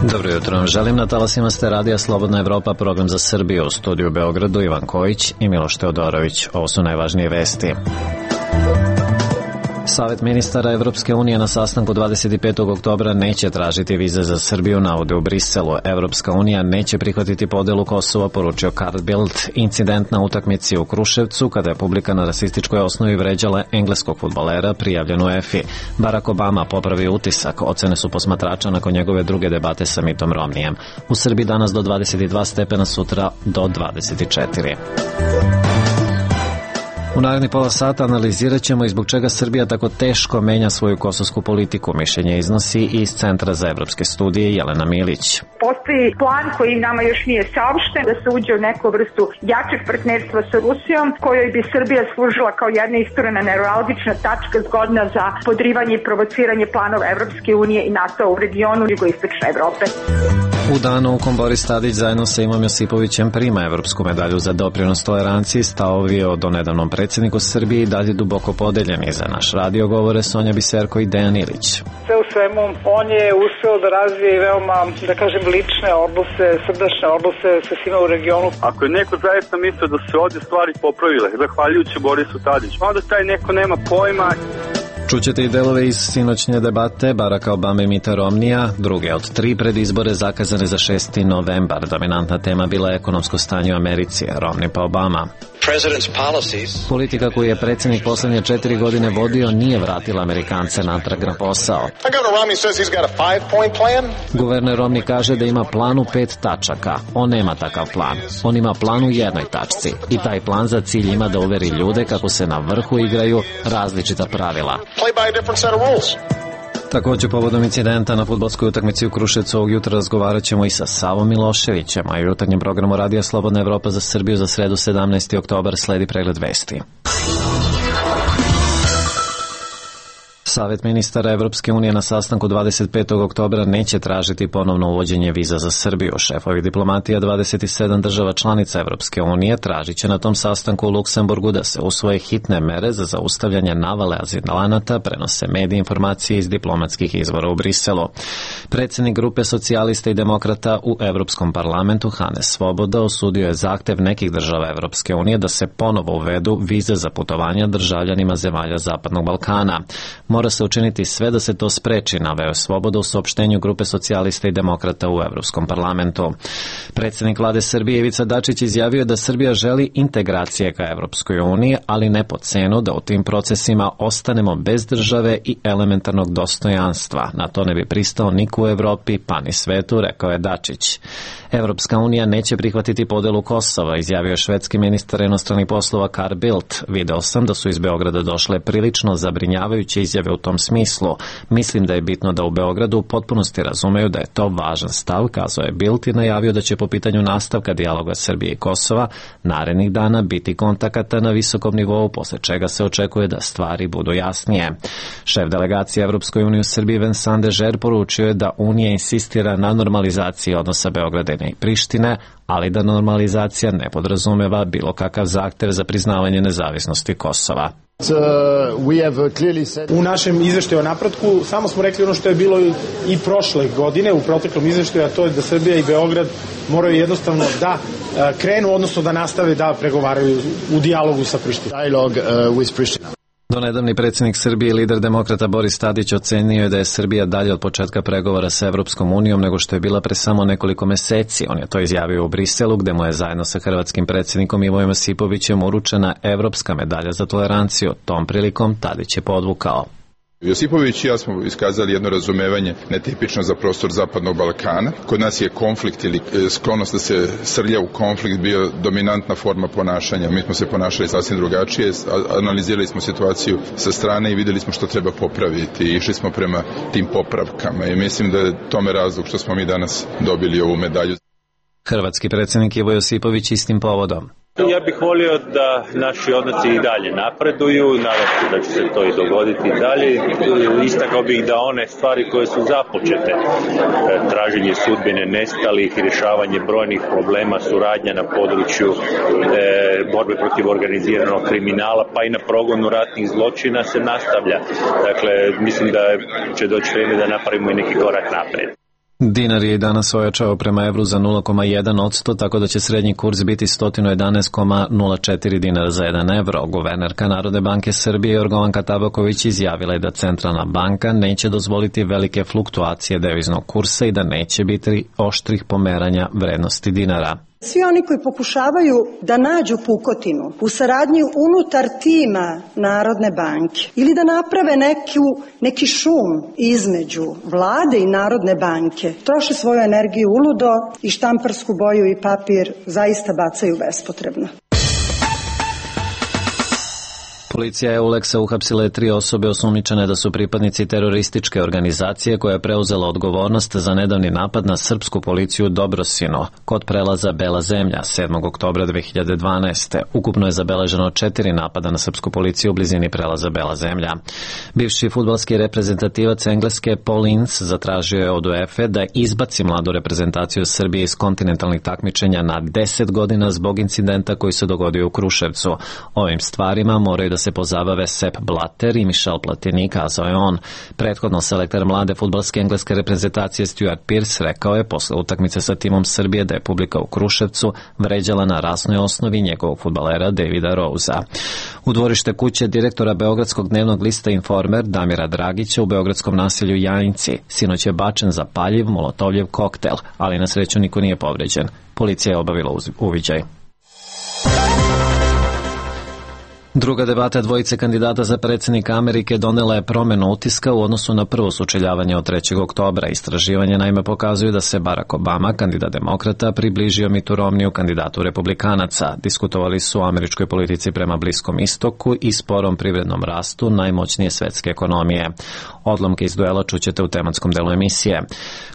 Dobro jutro, želim na talasima ste radija Slobodna Evropa, program za Srbiju, u studiju u Beogradu Ivan Kojić i Miloš Teodorović. Ovo su najvažnije vesti. Savet ministara Evropske unije na sastanku 25. oktobra neće tražiti vize za Srbiju, navode u Briselu. Evropska unija neće prihvatiti podelu Kosova, poručio Carl Bildt. Incident na utakmici u Kruševcu, kada je publika na rasističkoj osnovi vređala engleskog fudbalera, prijavljen u EFI. Barack Obama popravi utisak, ocene su posmatrača nakon njegove druge debate sa Mitom Romnijem. U Srbiji danas do 22 stepena, sutra do 24. U narednih pola sata analizirat ćemo i zbog čega Srbija tako teško menja svoju kosovsku politiku. Mišljenje iznosi iz Centra za evropske studije Jelena Milić. Postoji plan koji nama još nije saopšten da se uđe u neku vrstu jačeg partnerstva sa Rusijom, kojoj bi Srbija služila kao jedna isturena neuralgična tačka zgodna za podrivanje i provociranje planova Evropske unije i NATO u regionu jugoistočne Evrope. U danu u kom Boris Tadić zajedno sa Imom Josipovićem prima evropsku medalju za doprinos toleranciji, stavovi o donedavnom predsjedniku Srbije i dalje duboko podeljeni. Za naš radio govore Sonja Biserko i Dejan Ilić. Sve u svemu, on je uspeo da razvije veoma, da kažem, lične odnose, srdačne odnose sa svima u regionu. Ako je neko zaista mislio da se ovdje stvari popravile, zahvaljujući Borisu Tadiću, onda taj neko nema pojma. Čućete i delove iz sinoćnje debate Baracka Obame i Mita Romnija, druge od 3 predizbore zakazane za 6. novembar. Dominantna tema bila je ekonomsko stanje u Americi, Romney pa Obama. Politika koju je predsjednik posljednje 4 godine vodio nije vratila Amerikance natrag na posao. Guverner Romney kaže da ima plan u 5 tačaka. On nema takav plan. On ima plan u jednoj tačci. I taj plan za cilj ima da uveri ljude kako se na vrhu igraju različita pravila. Također povodom incidenta na fudbalskoj utakmici u Kruševcu ovog jutra razgovarat ćemo i sa Savom Miloševićem, a i u jutarnjem programu Radija Slobodna Evropa za Srbiju za sredu 17. oktobar sledi pregled vesti. Savet ministara Evropske unije na sastanku 25. oktobra neće tražiti ponovno uvođenje viza za Srbiju. Šefovi diplomatija 27 država članica Evropske unije tražit će na tom sastanku u Luksemburgu da se usvoje hitne mere za zaustavljanje navale azilanata, prenose mediji informacije iz diplomatskih izvora u Briselu. Predsjednik grupe socijalista i demokrata u Evropskom parlamentu Hannes Svoboda osudio je zahtev nekih država Evropske unije da se ponovo uvedu vize za putovanja državljanima zemalja Zapadnog Balkana. Mora se učiniti sve da se to spreči, naveo Svoboda u saopštenju grupe socijalista i demokrata u Evropskom parlamentu. Predsjednik vlade Srbije Ivica Dačić izjavio da Srbija želi integracije ka Evropskoj uniji, ali ne po cenu da u tim procesima ostanemo bez države i elementarnog dostojanstva. Na to ne bi pristao niko u Evropi, pa ni svetu, rekao je Dačić. Evropska unija neće prihvatiti podelu Kosova, izjavio švedski ministar inostranih poslova Carl Bildt. Video sam da su iz Beograda došle prilično zabrinjavajuće izjave u tom smislu. Mislim da je bitno da u Beogradu u potpunosti razumeju da je to važan stav, kazao je Bildt i najavio da će po pitanju nastavka dijaloga Srbije i Kosova narednih dana biti kontakata na visokom nivou, posle čega se očekuje da stvari budu jasnije. Šef delegacije Evropskoj uniji u Srbiji Vincent Dežer poručio je da Unija insistira na normalizaciji odnosa Beograda i Prištine, ali da normalizacija ne podrazumeva bilo kakav zahtev za priznavanje nezavisnosti Kosova. U našem izveštaju o napretku samo smo rekli ono što je bilo i prošle godine u proteklom izveštaju, a to je da Srbija i Beograd moraju jednostavno da krenu, odnosno da nastave da pregovaraju u dijalogu sa Prištinom. Donedavni predsjednik Srbije i lider demokrata Boris Tadić ocenio je da je Srbija dalje od početka pregovora sa Evropskom unijom nego što je bila pre samo nekoliko meseci. On je to izjavio u Briselu, gde mu je zajedno sa hrvatskim predsjednikom Imom Josipovićem uručena evropska medalja za toleranciju. Tom prilikom Tadić je podvukao: Josipović i ja smo iskazali jedno razumevanje netipično za prostor Zapadnog Balkana. Kod nas je konflikt ili sklonost da se srlja u konflikt bio dominantna forma ponašanja. Mi smo se ponašali sasvim drugačije, analizirali smo situaciju sa strane i vidjeli smo što treba popraviti i išli smo prema tim popravkama i mislim da je tome razlog što smo mi danas dobili ovu medalju. Hrvatski predsjednik Ivo Josipović istim povodom: Ja bih volio da naši odnosi i dalje napreduju, nadam se da će se to i dogoditi i dalje. Istakao bih da one stvari koje su započete, traženje sudbine nestalih, rješavanje brojnih problema, suradnja na području borbe protiv organiziranog kriminala, pa i na progonu ratnih zločina se nastavlja. Dakle, mislim da će doći vrijeme da napravimo i neki korak naprijed. Dinar je i danas ojačao prema evru za 0,1%, tako da će srednji kurs biti 111,04 dinara za 1 evro. Guvernerka Narodne banke Srbije Jorgovanka Tabaković izjavila je da Centralna banka neće dozvoliti velike fluktuacije deviznog kursa i da neće biti oštrih pomeranja vrednosti dinara. Svi oni koji pokušavaju da nađu pukotinu u saradnji unutar tima Narodne banke ili da naprave neki šum između vlade i Narodne banke, troše svoju energiju uludo i štamparsku boju i papir zaista bacaju bespotrebno. Policija EULEX-a uhapsila je 3 osobe osumnjičene da su pripadnici terorističke organizacije koja je preuzela odgovornost za nedavni napad na srpsku policiju u Dobrosinu kod prelaza Bela zemlja 7. oktobra 2012. Ukupno je zabeleženo 4 napada na srpsku policiju u blizini prelaza Bela zemlja. Bivši fudbalski reprezentativac Engleske Paul Ince zatražio je od UEFA da izbaci mladu reprezentaciju Srbije iz kontinentalnih takmičenja na 10 godina zbog incidenta koji se dogodio u Kruševcu. Ovim stvarima moraju da se pozabave Sepp Blatter i Michel Platini, kazao je on. Prethodno selektor mlade fudbalske engleske reprezentacije Stuart Pearce rekao je posle utakmice sa timom Srbije da je publika u Kruševcu vređala na rasnoj osnovi njegovog fudbalera Davida Rosea. U dvorište kuće direktora Beogradskog dnevnog lista Informer Damira Dragića u beogradskom naselju Jajinci sinoć je bačen zapaljiv molotovljev koktel, ali na sreću niko nije povređen. Policija je obavila uviđaj. Druga debata dvojice kandidata za predsjednika Amerike donela je promjenu utiska u odnosu na prvo sučeljavanje od 3. oktobra. Istraživanje naime pokazuju da se Barack Obama, kandidat demokrata, približio Mittu Romneyu, kandidatu republikanaca. Diskutovali su o američkoj politici prema Bliskom istoku i sporom privrednom rastu najmoćnije svetske ekonomije. Odlomke iz duela čućete u tematskom delu emisije.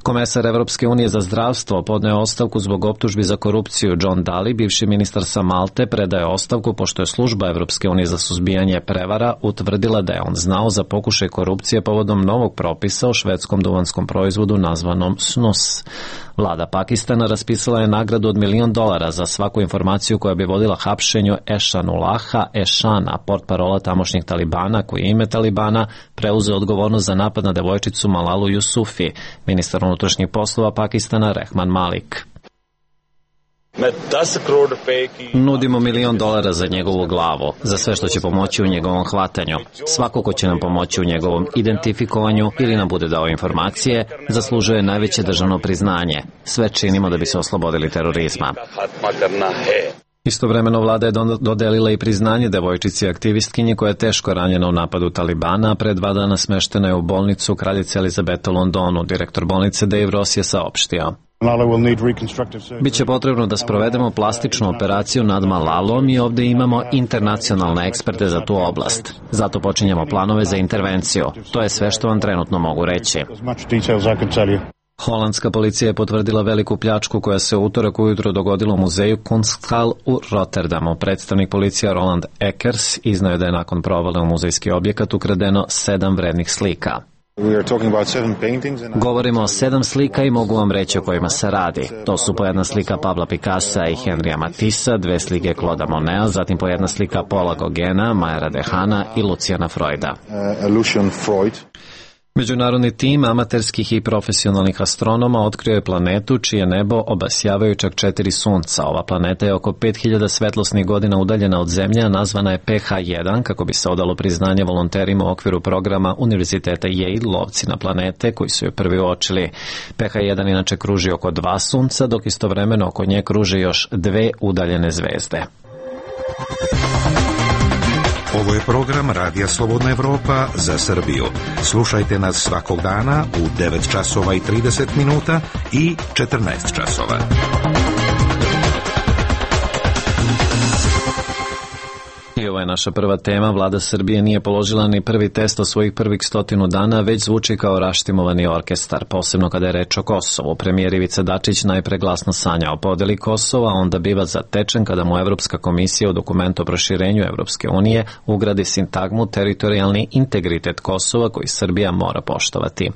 Komesar Evropske unije za zdravstvo podneo ostavku zbog optužbi za korupciju. John Daly, bivši ministar sa Malte, predaje ostavku pošto je služba Evropske unije za suzbijanje prevara utvrdila da je on znao za pokušaj korupcije povodom novog propisa o švedskom duvanskom proizvodu nazvanom snus. Vlada Pakistana raspisala je nagradu od $1 milion za svaku informaciju koja bi vodila hapšenju Ešanullaha Ešana, portparola tamošnjih Talibana, koji je ime Talibana preuzeo odgovornost za napad na devojčicu Malalu Yusufi. Ministar unutrašnjih poslova Pakistana Rehman Malik. Nudimo $1 milion za njegovu glavu, za sve što će pomoći u njegovom hvatanju. Svako ko će nam pomoći u njegovom identifikovanju ili nam bude dao informacije, zaslužuje najveće državno priznanje. Sve činimo da bi se oslobodili terorizma. Istovremeno vlada je dodelila i priznanje devojčici aktivistkinji koja je teško ranjena u napadu Talibana, a pre 2 dana smeštena je u bolnicu Kraljice Elizabete u Londonu. Direktor bolnice Dave Ross je saopštio. Biće potrebno da sprovedemo plastičnu operaciju nad Malalom i ovdje imamo internacionalne eksperte za tu oblast. Zato počinjemo planove za intervenciju. To je sve što vam trenutno mogu reći. Holandska policija je potvrdila veliku pljačku koja se u utorak ujutro dogodila u muzeju Kunsthal u Rotterdamu. Predstavnik policija Roland Ekers iznao da je nakon provale u muzejski objekat ukradeno 7 vrednih slika. Govorimo o 7 slika i mogu vam reći o kojima se radi. To su po jedna slika Pabla Picassa i Henrya Matissa, 2 slike Claude'a Moneta, zatim po jedna slika Paula Gauguina, Mayra Dehana i Luciana Freuda. Međunarodni tim amaterskih i profesionalnih astronoma otkrio je planetu čije nebo obasjavaju čak 4 sunca. Ova planeta je oko 5000 svetlosnih godina udaljena od Zemlje, a nazvana je PH1 kako bi se odalo priznanje volonterima u okviru programa Univerziteta Yale Lovci na planete koji su je prvi uočili. PH1 inače kruži oko 2 sunca, dok istovremeno oko nje kruže još 2 udaljene zvezde. Ovo je program Radija Slobodna Evropa za Srbiju. Slušajte nas svakog dana u 9 časova i 30 minuta i 14 časova. I ovo je naša prva tema. Vlada Srbije nije položila ni prvi test od svojih prvih 100 dana, već zvuči kao raštimovani orkestar, posebno kada je reč o Kosovu. Premijer Ivica Dačić najpre glasno sanja o podeli Kosova, a onda biva zatečen kada mu Evropska komisija u dokumentu o proširenju Evropske unije ugradi sintagmu teritorijalni integritet Kosova koji Srbija mora poštovati.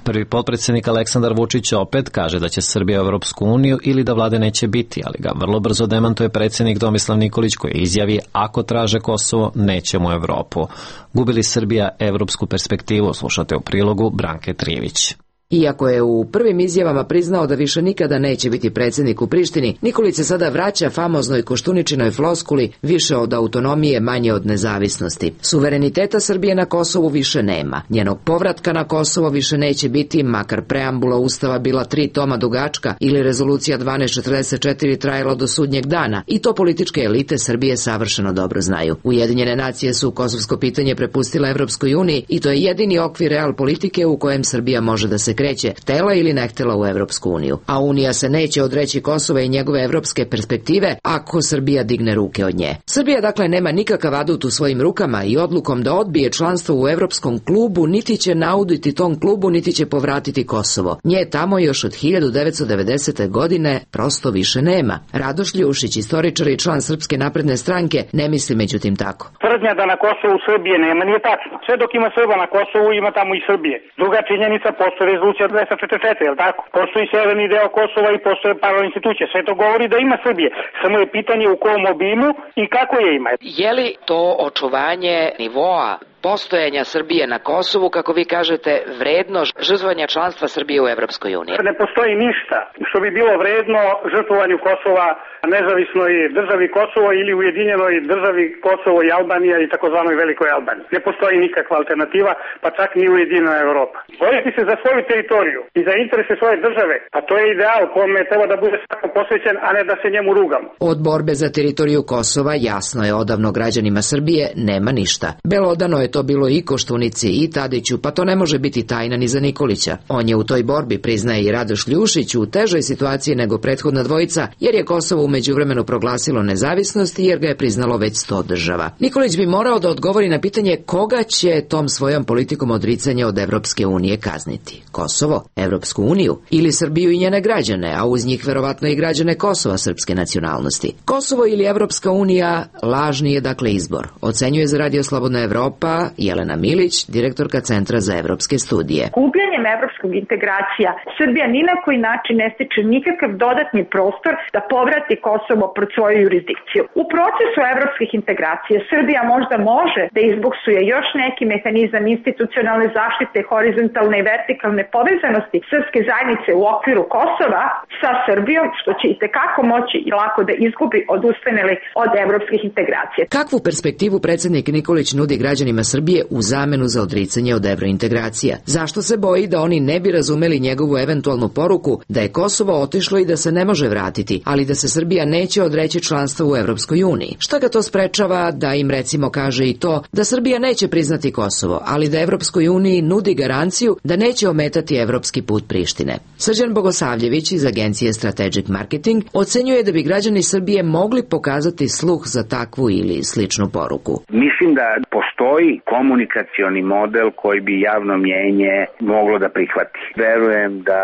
Prvi potpredsjednik Aleksandar Vučić opet kaže da će Srbija u Evropsku uniju ili da vlade neće biti, ali ga vrlo brzo demantuje predsjednik Tomislav Nikolić koji izjavi ako traže Kosovo, nećemo u Evropu. Gubi li Srbija evropsku perspektivu? Slušate u prilogu Branke Trivić. Iako je u prvim izjavama priznao da više nikada neće biti predsjednik u Prištini, Nikolić se sada vraća famoznoj Koštuničinoj floskuli više od autonomije, manje od nezavisnosti. Suvereniteta Srbije na Kosovu više nema. Njenog povratka na Kosovo više neće biti, makar preambula Ustava bila 3 toma dugačka ili rezolucija 1244 trajala do sudnjeg dana, i to političke elite Srbije savršeno dobro znaju. Ujedinjene nacije su kosovsko pitanje prepustile Evropskoj uniji i to je jedini okvir real politike u kojem Srbija može da se kreće, htela ili ne htela u Evropsku uniju. A Unija se neće odreći Kosova i njegove evropske perspektive ako Srbija digne ruke od nje. Srbija dakle nema nikakav adut u svojim rukama i odlukom da odbije članstvo u Evropskom klubu niti će nauditi tom klubu, niti će povratiti Kosovo. Nje tamo još od 1990. godine prosto više nema. Radoš Ljušić, istoričar i član Srpske napredne stranke, ne misli međutim tako. Tvrdnja da na Kosovu Srbije nema nije tačno. Sve dok ima Srba na Kosovu, ima tamo i Srbije. Druga činjenica, postoji rezolucija 244, jel tako? Postoji severni deo Kosova i postoje paralelne institucije. Sve to govori da ima Srbije. Samo je pitanje u kom obimu i kako je ima. Je li to očuvanje nivoa postojanja Srbije na Kosovu, kako vi kažete, vredno žrtvovanja članstva Srbije u Evropskoj uniji? Ne postoji ništa što bi bilo vredno žrtvovanju Kosova nezavisnoj državi Kosovo ili ujedinjenoj državi Kosovo i Albanija i takozvanoj Velikoj Albaniji. Ne postoji nikakva alternativa, pa čak ni ujedinjena Evropa. Boriti se za svoju teritoriju i za interese svoje države, pa to je ideal kome treba da bude svako posvećen, a ne da se njemu rugamo. Od borbe za teritoriju Kosova jasno je odavno građanima Srbije nema ništa. Belodano je to bilo i Koštunici i Tadiću, pa to ne može biti tajna ni za Nikolića. On je u toj borbi, priznaje i Radoš Ljušić, u težoj situaciji nego prethodna dvojica, jer je Kosovo u međuvremenu proglasilo nezavisnost i jer ga je priznalo već 100 država. Nikolić bi morao da odgovori na pitanje koga će tom svojom politikom odricanja od Evropske unije kazniti. Kosovo, Evropsku uniju ili Srbiju i njene građane, a uz njih verovatno i građane Kosova srpske nacionalnosti. Kosovo ili Evropska unija lažni je dakle izbor, ocenjuje za Radio Slobodna Evropa Jelena Milić, direktorka Centra za evropske studije. Gubljenjem evropskog integracija Srbija ni na koji način ne stiče nikakav dodatni prostor da povrati Kosovo pod svoju jurisdikciju. U procesu evropskih integracija Srbija možda može da izbuksuje još neki mehanizam institucionalne zaštite, horizontalne i vertikalne povezanosti srpske zajednice u okviru Kosova sa Srbijom, što će itekako moći i lako da izgubi odustaneli od evropskih integracija. Kakvu perspektivu predsjednik Nikolić nudi građanima Srbije u zamenu za odricanje od evrointegracija? Zašto se boji da oni ne bi razumeli njegovu eventualnu poruku da je Kosovo otišlo i da se ne može vratiti, ali da se Srbija neće odreći članstva u Evropskoj uniji? Šta ga to sprečava da im recimo kaže i to da Srbija neće priznati Kosovo, ali da Evropskoj uniji nudi garanciju da neće ometati evropski put Prištine? Srđan Bogosavljević iz agencije Strategic Marketing ocenjuje da bi građani Srbije mogli pokazati sluh za takvu ili sličnu poruku. Mislim da postoji komunikacioni model koji bi javno mnjenje moglo da prihvati. Verujem da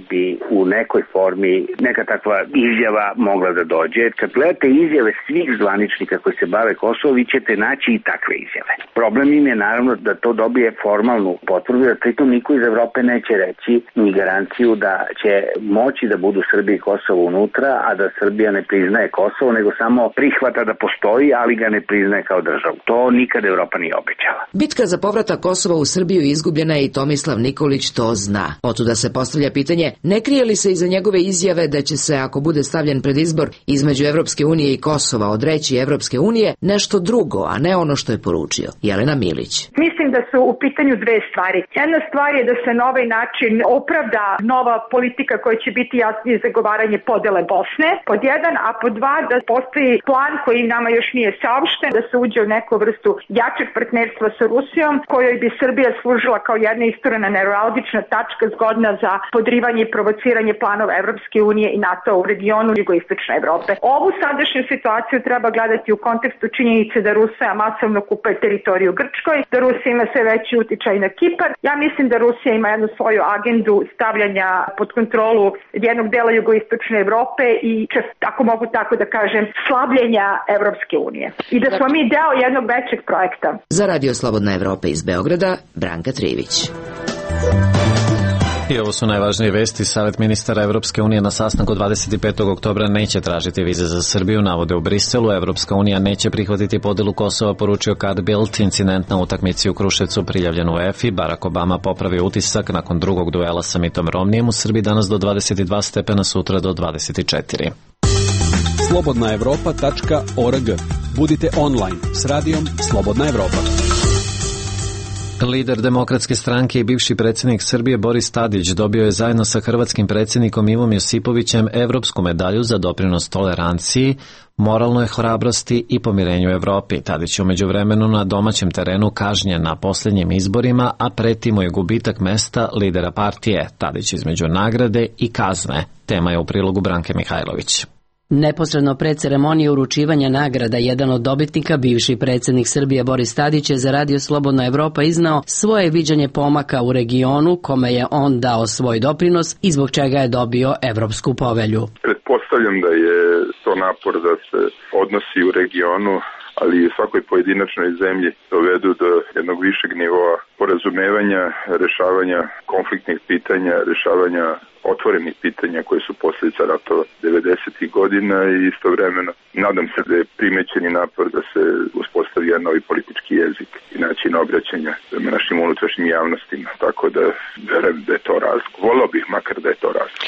bi u nekoj formi neka takva izjava mogla da dođe. Kad gledate izjave svih zvaničnika koji se bave Kosovo, vi ćete naći i takve izjave. Problem im je naravno da to dobije formalnu potvrdu, da pritom niko iz Evrope neće reći ni garanciju da će moći da budu Srbija i Kosovo unutra, a da Srbija ne priznaje Kosovo, nego samo prihvata da postoji, ali ga ne priznaje kao državu. To nikad Evropa nije obećala. Bitka za povratak Kosova u Srbiju izgubljena je i Tomislav Nikolić to zna. Otuda se postavlja pitanje, ne krije li se iza njegove izjave da će se, ako bude stavljen pred izbor između Evropske unije i Kosova, odreći Evropske unije nešto drugo, a ne ono što je poručio? Jelena Milić. Mislim da su u pitanju dve stvari. Jedna stvar je da se na ovaj način opravda nova politika koja će biti jasnije zagovaranje podele Bosne, pod jedan, a pod dva da postoji plan koji nama još nije saopšten, da se uđe u neku vrstu jačeg partnerstva sa Rusijom, kojoj bi Srbija služila kao jedna isturena neuralgična tačka zgodna za podrivanje i provociranje planova Evropske unije i NATO u regionu jugoistočne Evrope. Ovu sadašnju situaciju treba gledati u kontekstu činjenice da Rusija masovno kupuje teritoriju Grčkoj, da Rusija ima sve veći uticaj na Kipar. Ja mislim da Rusija ima jednu svoju agendu stavljanja pod kontrolu jednog dela jugoistočne Evrope i, ako mogu tako da kažem, slabljenja Evropske unije. I da smo mi deo jednog većeg projekta. Za Radio Slobodna Evropa iz Beograda, Branka Trivić. I ovo su najvažnije vesti. Savet ministara Evropske unije na sastanku 25. oktobra neće tražiti vize za Srbiju, navode u Briselu. Evropska unija neće prihvatiti podelu Kosova, poručio Carl Bildt. Incident na utakmici u Kruševcu prijavljen u UEFA. Barack Obama popravio utisak nakon drugog duela sa Mittom Romnijem u Srbiji, danas do 22 stepena, sutra do 24. slobodnaevropa.org. Budite online s radijom Slobodna Evropa. Lider Demokratske stranke i bivši predsjednik Srbije Boris Tadić dobio je zajedno sa hrvatskim predsjednikom Ivom Josipovićem evropsku medalju za doprinos toleranciji, moralnoj hrabrosti i pomirenju u Evropi. Tadić je u međuvremenu na domaćem terenu kažnjen na posljednjim izborima, a preti mu je gubitak mesta lidera partije. Tadić između nagrade i kazne. Tema je u prilogu Branke Mihajlović. Neposredno pred ceremonije uručivanja nagrada, jedan od dobitnika, bivši predsjednik Srbije Boris Tadić, je za Radio Slobodna Evropa iznao svoje viđenje pomaka u regionu kome je on dao svoj doprinos i zbog čega je dobio Evropsku povelju. Pretpostavljam da je to napor da se odnosi u regionu, ali i svakoj pojedinačnoj zemlji dovedu do jednog višeg nivoa porazumevanja, rešavanja konfliktnih pitanja, rešavanja otvorenih pitanja koje su posljedica ratova 90. godina i istovremeno nadam se da je primećeni napor da se uspostavi jedan novi politički jezik i način obraćanja prema našim unutrašnjim javnostima. Tako da verujem da je to razlog. Volao bih makar da je to razlog.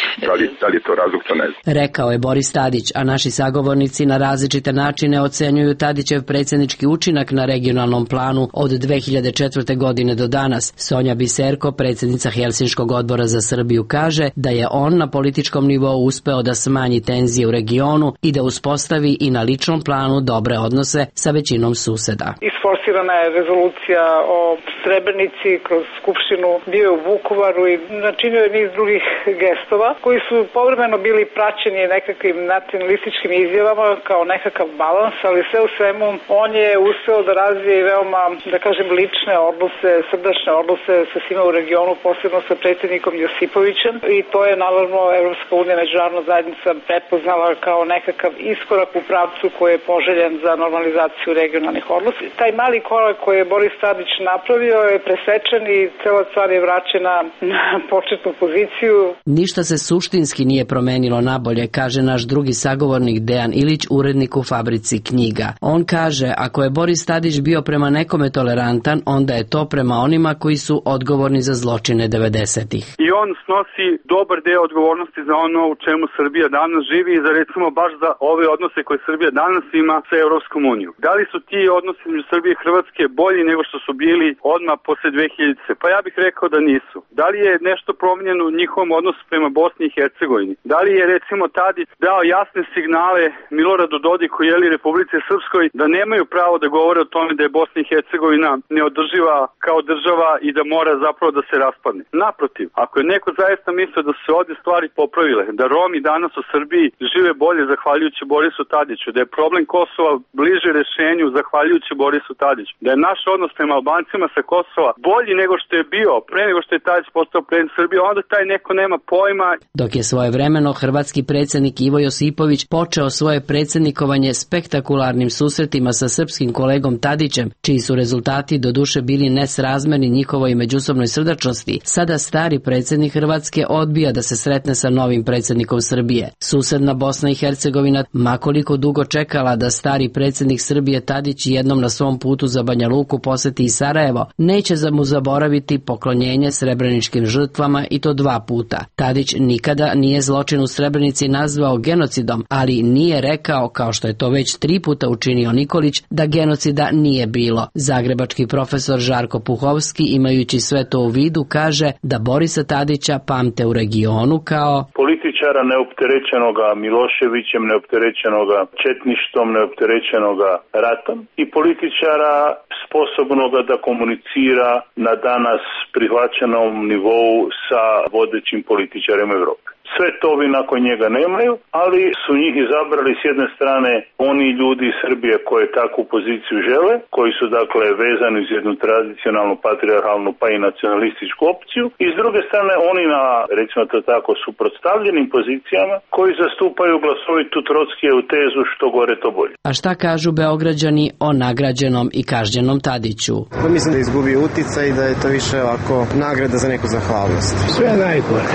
Da li je to razlog, to ne znam. Rekao je Boris Tadić, a naši sagovornici na različite načine ocenjuju Tadićev predsjednički učinak na regionalnom planu od 2004. godine do danas. Sonja Biserko, predsjednica Helsinškog odbora za Srbiju, kaže da je on na političkom nivou uspeo da smanji tenzije u regionu i da uspostavi i na ličnom planu dobre odnose sa većinom suseda. Isforsirana je rezolucija o Srebrenici kroz Skupštinu, bio je u Vukovaru i načinio je niz drugih gestova koji su povremeno bili praćeni nekakvim nacionalističkim izjavama kao nekakav balans, ali sve u svemu on je uspeo da razvije i veoma, da kažem, lične odnose, srdačne odnose sa svima u regionu, posebno sa predsjednikom Josipovićem, i to je naravno Evropska unija, međunarodna zajednica prepoznala kao nekakav iskorak u pravcu koji je poželjen za normalizaciju regionalnih odnosa. Taj mali korak koji je Boris Tadić napravio je presečen i cela stvar je vraćena na početnu poziciju. Ništa se suštinski nije promenilo nabolje, kaže naš drugi sagovornik Dejan Ilić, urednik u Fabrici knjiga. On kaže, ako je Boris Tadić bio prema nekome tolerantan, onda je to prema onima koji su odgovorni za zločine 90-ih. I on snosi dobar deo odgovornosti za ono u čemu Srbija danas živi i za, recimo, baš za ove odnose koje Srbija danas ima sa Evropskom unijom. Da li su ti odnosi između Srbije i Hrvatske bolji nego što su bili odmah posle 2000? Pa ja bih rekao da nisu. Da li je nešto promijenjeno u njihovom odnosu prema Bosni i Hercegovini? Da li je, recimo, Tadić dao jasne signale Miloradu Dodiku ili Republici Srpskoj da nemaju pravo da govore o tome da je Bosna i Hercegovina neodrživa kao država i da mora zapravo da se raspadne? Naprotiv, ako je neko zaista mislio da su se ovdje stvari popravile, da Romi danas u Srbiji žive bolje zahvaljujući Borisu Tadiću, da je problem Kosova bliže rešenju zahvaljujući Borisu Tadiću, da je naš odnos prema Albancima sa Kosova bolji nego što je bio pre nego što je Tadić postao predsjednik Srbije, onda taj neko nema pojma. Dok je svojevremeno hrvatski predsjednik Ivo Josipović počeo svoje predsjednikovanje spektakularnim susretima sa srpskim kolegom Tadićem, čiji su rezultati doduše bili nesrazmerni njihovoj međusobnoj srdačnosti, sada stari predsjednik Hrvatske odbija da se sretne sa novim predsjednikom Srbije. Susedna Bosna i Hercegovina, makoliko dugo čekala da stari predsjednik Srbije Tadić jednom na svom putu za Banja Luku poseti i Sarajevo, neće mu zaboraviti poklonjenje srebreničkim žrtvama, i to 2 puta. Tadić nikada nije zločin u Srebrenici nazvao genocidom, ali nije rekao, kao što je to već 3 puta učinio Nikolić, da genocida nije bilo. Zagrebački profesor Žarko Puhovski, imajući sve to u vidu, kaže da Borisa Tadića pamte u regionu kao političara neopterećenoga Miloševićem, neopterećenoga četništvom, neopterećenoga ratom i političara sposobnoga da komunicira na danas prihvaćenom nivou sa vodećim političarima Evrope. Sve to ovi nakon njega nemaju, ali su njih izabrali s jedne strane oni ljudi iz Srbije koji takvu poziciju žele, koji su dakle vezani uz jednu tradicionalnu, patrijarhalnu pa i nacionalističku opciju, i s druge strane oni na, recimo to tako, suprotstavljenim pozicijama koji zastupaju glasovitu Trockijevu tezu što gore to bolje. A šta kažu Beograđani o nagrađenom i kažnjenom Tadiću? Pa mislim da izgubi uticaj i da je to više ovako nagrada za neku zahvalnost. Sve najgore.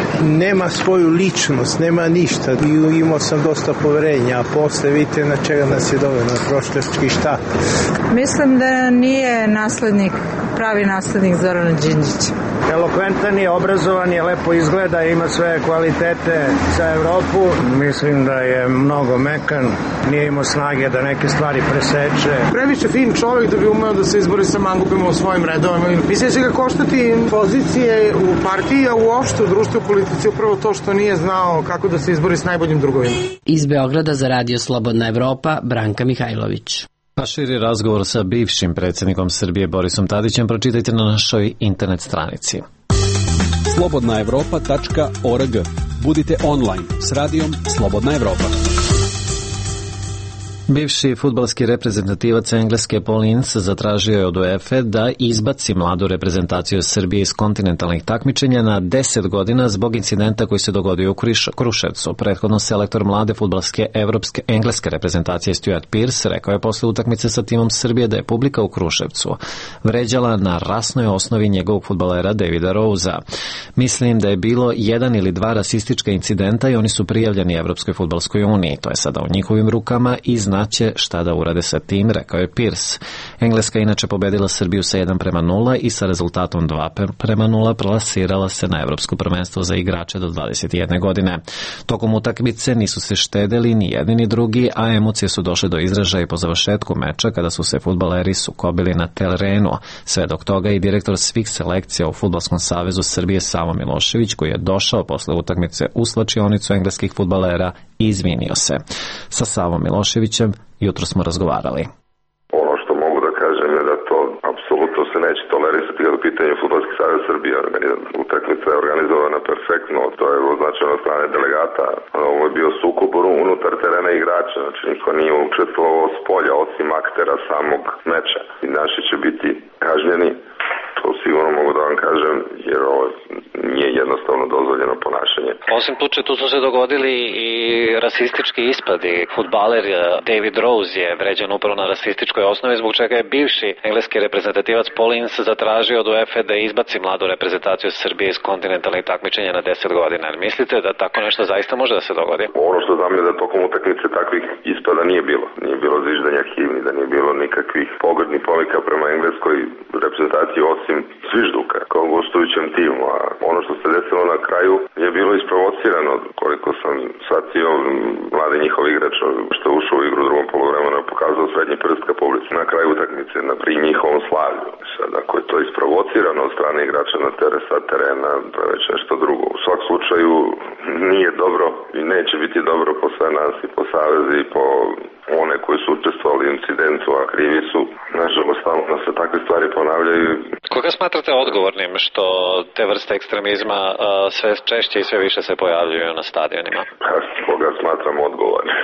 Nema svoju ličnost, nema ništa. I imao sam dosta poverenja, a posle vidite na čega nas je doveo, na prošljački štap. Mislim da nije pravi naslednik Zorana Đinđića. Elokventan je, obrazovan je, lepo izgleda, ima sve kvalitete za Evropu. Mislim da je mnogo mekan, nije imao snage da neke stvari preseče. Previše fin čovjek da bi umeo da se izbori sa mangupima u svojim redovima. Mislim da će ga koštati pozicije u partiji, a uopšte u društvu i politici upravo to što nije znao kako da se izbori s najboljim drugovima. Iz Beograda za Radio Slobodna Evropa, Branka Mihajlović. A širi razgovor sa bivšim predsjednikom Srbije Borisom Tadićem pročitajte na našoj internet stranici. slobodnaevropa.org. Budite online s radijom Slobodna Evropa. Bivši fudbalski reprezentativac Engleske Paul Ince zatražio je od UEFA da izbaci mladu reprezentaciju Srbije iz kontinentalnih takmičenja na 10 godina zbog incidenta koji se dogodio u Kruševcu. Prethodno selektor mlade fudbalske engleske reprezentacije Stuart Pearce rekao je posle utakmice sa timom Srbije da je publika u Kruševcu vređala na rasnoj osnovi njegovog fudbalera Davida Rosea. Mislim da je bilo 1 ili 2 rasistička incidenta i oni su prijavljeni Evropskoj fudbalskoj uniji. To je sada u njihovim rukama i znaće šta da urade sa tim, rekao je Pearce. Engleska inače pobedila Srbiju sa 1:0 i sa rezultatom 2:0 plasirala se na Evropsko prvenstvo za igrače do 21 godine. Tokom utakmice nisu se štedeli ni jedni ni drugi, a emocije su došle do izražaja i po završetku meča kada su se fudbaleri sukobili na terenu. Svedok toga i direktor svih selekcija u Fudbalskom savezu Srbije Savo Milošević, koji je došao posle utakmice u slačionicu engleskih fudbalera i izvinio se. Sa Savom Miloševićem jutro smo razgovarali. Ono što mogu da kažem je da to apsolutno se neće tolerisati kada u pitanju Fudbalski savez Srbije. Utakmica je organizovana perfektno, to je označeno od strane delegata. Ovo je bio sukob unutar terena igrača, znači niko nije učestvovao s polja osim aktera samog meča. I naši će biti kažnjeni, to sigurno mogu da vam kažem, jer ovo nije jednostavno dozvoljeno ponašanje. Osim tuče, tu su se dogodili i rasistički ispadi. Fudbaler David Rose je vređan upravo na rasističkoj osnovi, zbog čega je bivši engleski reprezentativac Paul Ince zatražio od UEFA da izbaci mladu reprezentaciju Srbije iz kontinentalnih takmičenja na 10 godina. Mislite da tako nešto zaista može da se dogodi? Ono što znam je da tokom utakmice takvih ispada nije bilo. Nije bilo zviždanja himni, da nije bilo nikakvih pogrdnih povika prema engleskoj reprezentaciji osim zvižduka kao gostujućem timu. A ono što se desilo na kraju je bilo isprovocirano. Koliko sam shvatio, mladi njihov igrač što je ušao u igru u drugom poluvremenu pokazao srednji prst ka publici na kraju utakmice pri njihovom slavlju. Sad, ako je to isprovocirano od strane igrača na terena, to je već nešto drugo. U svakom slučaju nije dobro i neće biti dobro po sve nas i po savezi i po one koji su učestvovali u incidentu, a krivi su. Nažalost, stalno se takve stvari ponavljaju. Koga smatrate odgovornim što te vrste ekstremizma sve češće i sve više se pojavljuju na stadionima? Koga smatram odgovornim?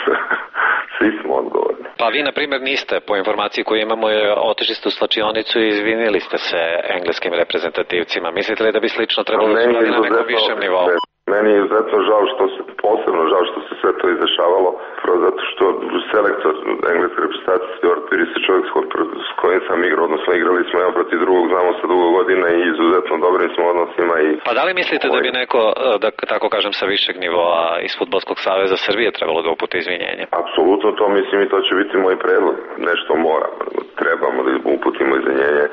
Svi smo odgovorni. Pa vi, na primjer, niste, po informaciji koju imamo, otišli ste u slačionicu i izvinili ste se engleskim reprezentativcima. Mislite li da bi slično trebalo da se radi na nekom višem nivou? Meni je izuzetno posebno žao što se sve to izdešavalo, zato što selektor engleske reprezentacije Stuart Pearce je čovjek s kojim sam igrao, odnosno igrali smo jedan protiv drugog, znamo se dugo godina i izuzetno dobrim smo odnosima. Pa da li mislite da bi neko, da tako kažem, sa višeg nivoa iz Fudbalskog saveza Srbije trebalo da uputi izvinjenje? Apsolutno to mislim i to će biti moj predlog. Nešto trebamo da uputimo izvinjenje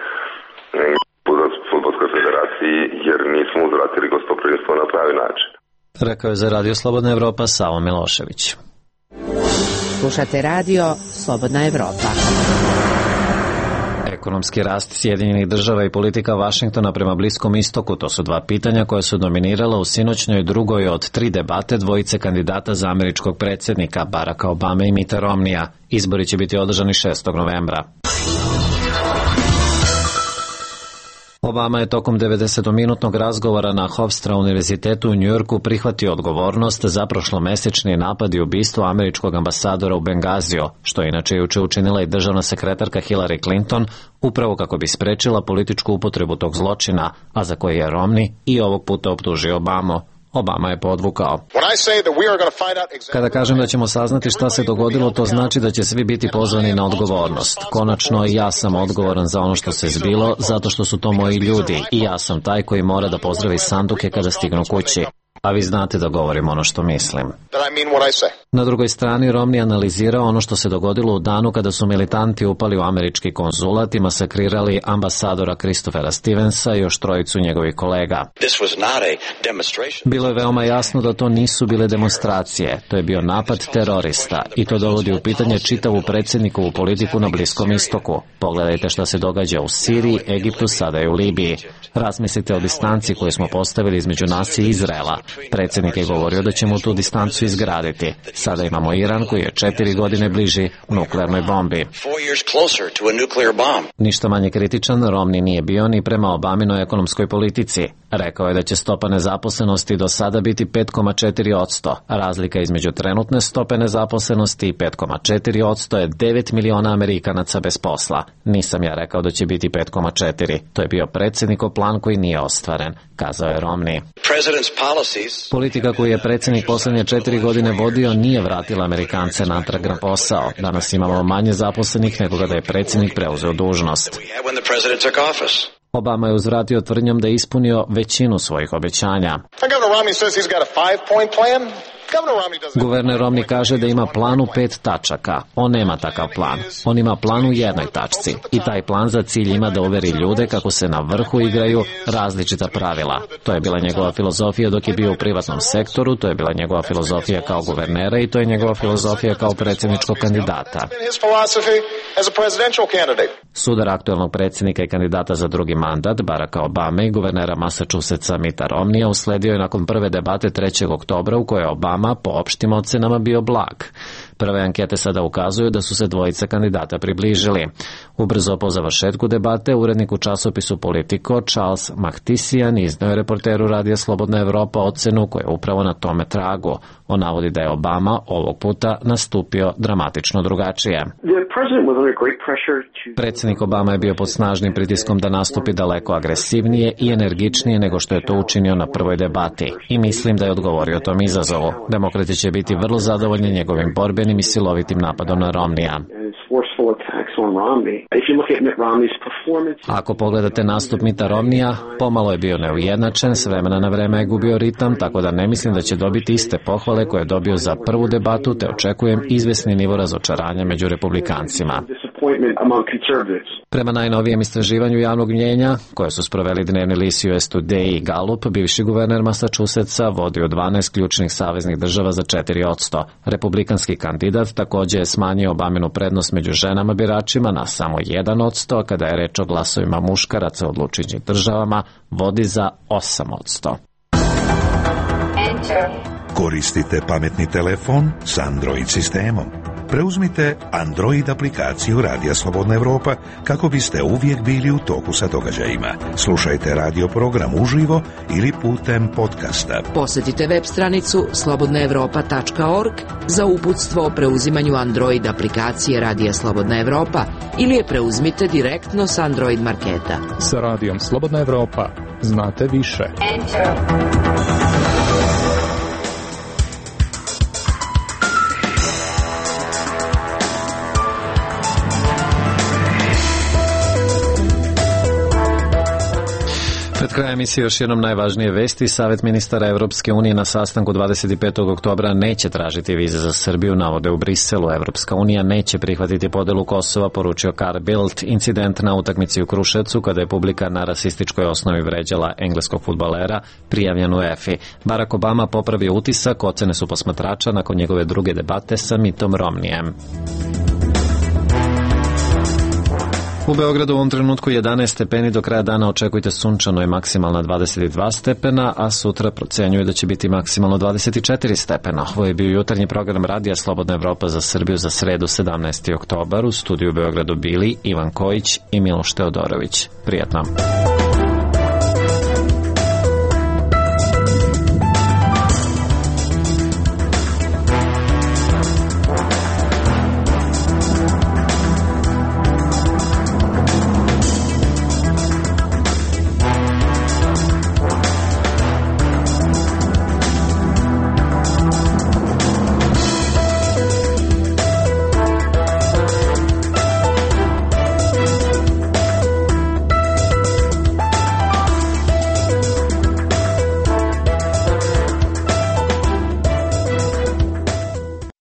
Fudbalskoj federaciji jer nismo uzvratili gostoprimstvo na pravi način. Rekao je za Radio Slobodna Evropa Savo Milošević. Slušate Radio Slobodna Evropa. Ekonomski rast Sjedinjenih država i politika Vašingtona prema Bliskom istoku, to su dva pitanja koja su dominirala u sinoćnoj drugoj od 3 debate dvojice kandidata za američkog predsjednika Baracka Obame i Mitta Romneya. Izbori će biti održani 6. novembra. Obama je tokom 90-minutnog razgovora na Hofstra univerzitetu u Njujorku prihvatio odgovornost za prošlomesečni napad i ubistvo američkog ambasadora u Bengaziju, što je inače juče učinila i državna sekretarka Hillary Clinton, upravo kako bi sprečila političku upotrebu tog zločina, a za koji je Romney i ovog puta optužio Obamu. Obama je podvukao. Kada kažem da ćemo saznati šta se dogodilo, to znači da će svi biti pozvani na odgovornost. Konačno, ja sam odgovoran za ono što se zbilo, zato što su to moji ljudi i ja sam taj koji mora da pozdravi sanduke kada stignu kući. A vi znate da govorim ono što mislim. Na drugoj strani Romney analizirao ono što se dogodilo u danu kada su militanti upali u američki konzulat i masakrirali ambasadora Christophera Stevensa i još trojicu njegovih kolega. Bilo je veoma jasno da to nisu bile demonstracije, to je bio napad terorista i to dovodi u pitanje čitavu predsjednikovu politiku na Bliskom istoku. Pogledajte šta se događa u Siriji, Egiptu, sada i u Libiji. Razmislite o distanci koju smo postavili između nas i Izraela. Predsjednik je govorio da ćemo tu distancu izgraditi. Sada imamo Iran koji je 4 godine bliži nuklearnoj bombi. Ništa manje kritičan Romney nije bio ni prema Obaminoj ekonomskoj politici. Rekao je da će stopa nezaposlenosti do sada biti 5,4%. Razlika između trenutne stope nezaposlenosti i 5,4% je 9 miliona Amerikanaca bez posla. Nisam ja rekao da će biti 5,4. To je bio predsjednikov plan koji nije ostvaren, kazao je Romney. Politika koju je predsjednik posljednje 4 godine vodio nije vratila Amerikance natrag na posao. Danas imamo manje zaposlenih nego kada je predsjednik preuzeo dužnost. Obama je uzvratio tvrdnjom da je ispunio većinu svojih obećanja. Guverner Romney kaže da ima plan u 5 tačaka. On nema takav plan. On ima plan u jednoj tačci. I taj plan za cilj ima da uveri ljude kako se na vrhu igraju različita pravila. To je bila njegova filozofija dok je bio u privatnom sektoru, to je bila njegova filozofija kao guvernera i to je njegova filozofija kao predsjedničkog kandidata. Sudar aktuelnog predsjednika i kandidata za drugi mandat, Baracka Obame i guvernera Massachusettsa Mitta Romneya usledio je nakon prve debate 3. oktobra u kojoj je Obama po opštim ocenama bio blag. Prve ankete sada ukazuju da su se dvojica kandidata približili. Ubrzo po završetku debate, urednik u časopisu Politico Charles Machtisian izneo je reporteru Radija Slobodna Evropa ocenu koja je upravo na tome tragu. On navodi da je Obama ovog puta nastupio dramatično drugačije. Predsjednik Obama je bio pod snažnim pritiskom da nastupi daleko agresivnije i energičnije nego što je to učinio na prvoj debati. I mislim da je odgovorio tom izazovu. Demokrati će biti vrlo zadovoljni njegovim borbenim i silovitim napadom na Romneya. Ako pogledate nastup Mitta Romneya, pomalo je bio neujednačen, s vremena na vreme je gubio ritam, tako da ne mislim da će dobiti iste pohvale koje je dobio za prvu debatu, te očekujem izvesni nivo razočaranja među republikancima. Prema najnovijem istraživanju javnog mnjenja, koje su sproveli dnevni list US Today i Gallup, bivši guverner Massachusettsa vodi u 12 ključnih saveznih država za 4%. Republikanski kandidat također je smanjio Obaminu prednost među ženama biračima na samo 1%, a kada je reč o glasovima muškaraca u odlučujućim državama, vodi za 8%. Koristite pametni telefon s Android sistemom. Preuzmite Android aplikaciju Radija Slobodna Evropa kako biste uvijek bili u toku sa događajima. Slušajte radio program uživo ili putem podcasta. Posjetite web stranicu slobodnaevropa.org za uputstvo o preuzimanju Android aplikacije Radija Slobodna Evropa ili je preuzmite direktno s Android marketa. Sa Radijom Slobodna Evropa znate više. Pred krajem emisije još jednom najvažnije vesti. Savjet ministara Evropske unije na sastanku 25. oktobra neće tražiti vize za Srbiju, navode u Briselu. Evropska unija neće prihvatiti podelu Kosova, poručio Carl Bildt. Incident na utakmici u Kruševcu, kada je publika na rasističkoj osnovi vređala engleskog fudbalera, prijavljen u EFI. Barack Obama popravio utisak, ocene su posmatrača nakon njegove druge debate sa Mittom Romneyem. U Beogradu u ovom trenutku 11 stepeni, do kraja dana očekujte sunčano i maksimalna 22 stepena, a sutra procenjuje da će biti maksimalno 24 stepena. Ovo je bio jutarnji program Radija Slobodna Evropa za Srbiju za sredu 17. oktobar. U studiju u Beogradu bili Ivan Kojić i Miloš Teodorović. Prijatno.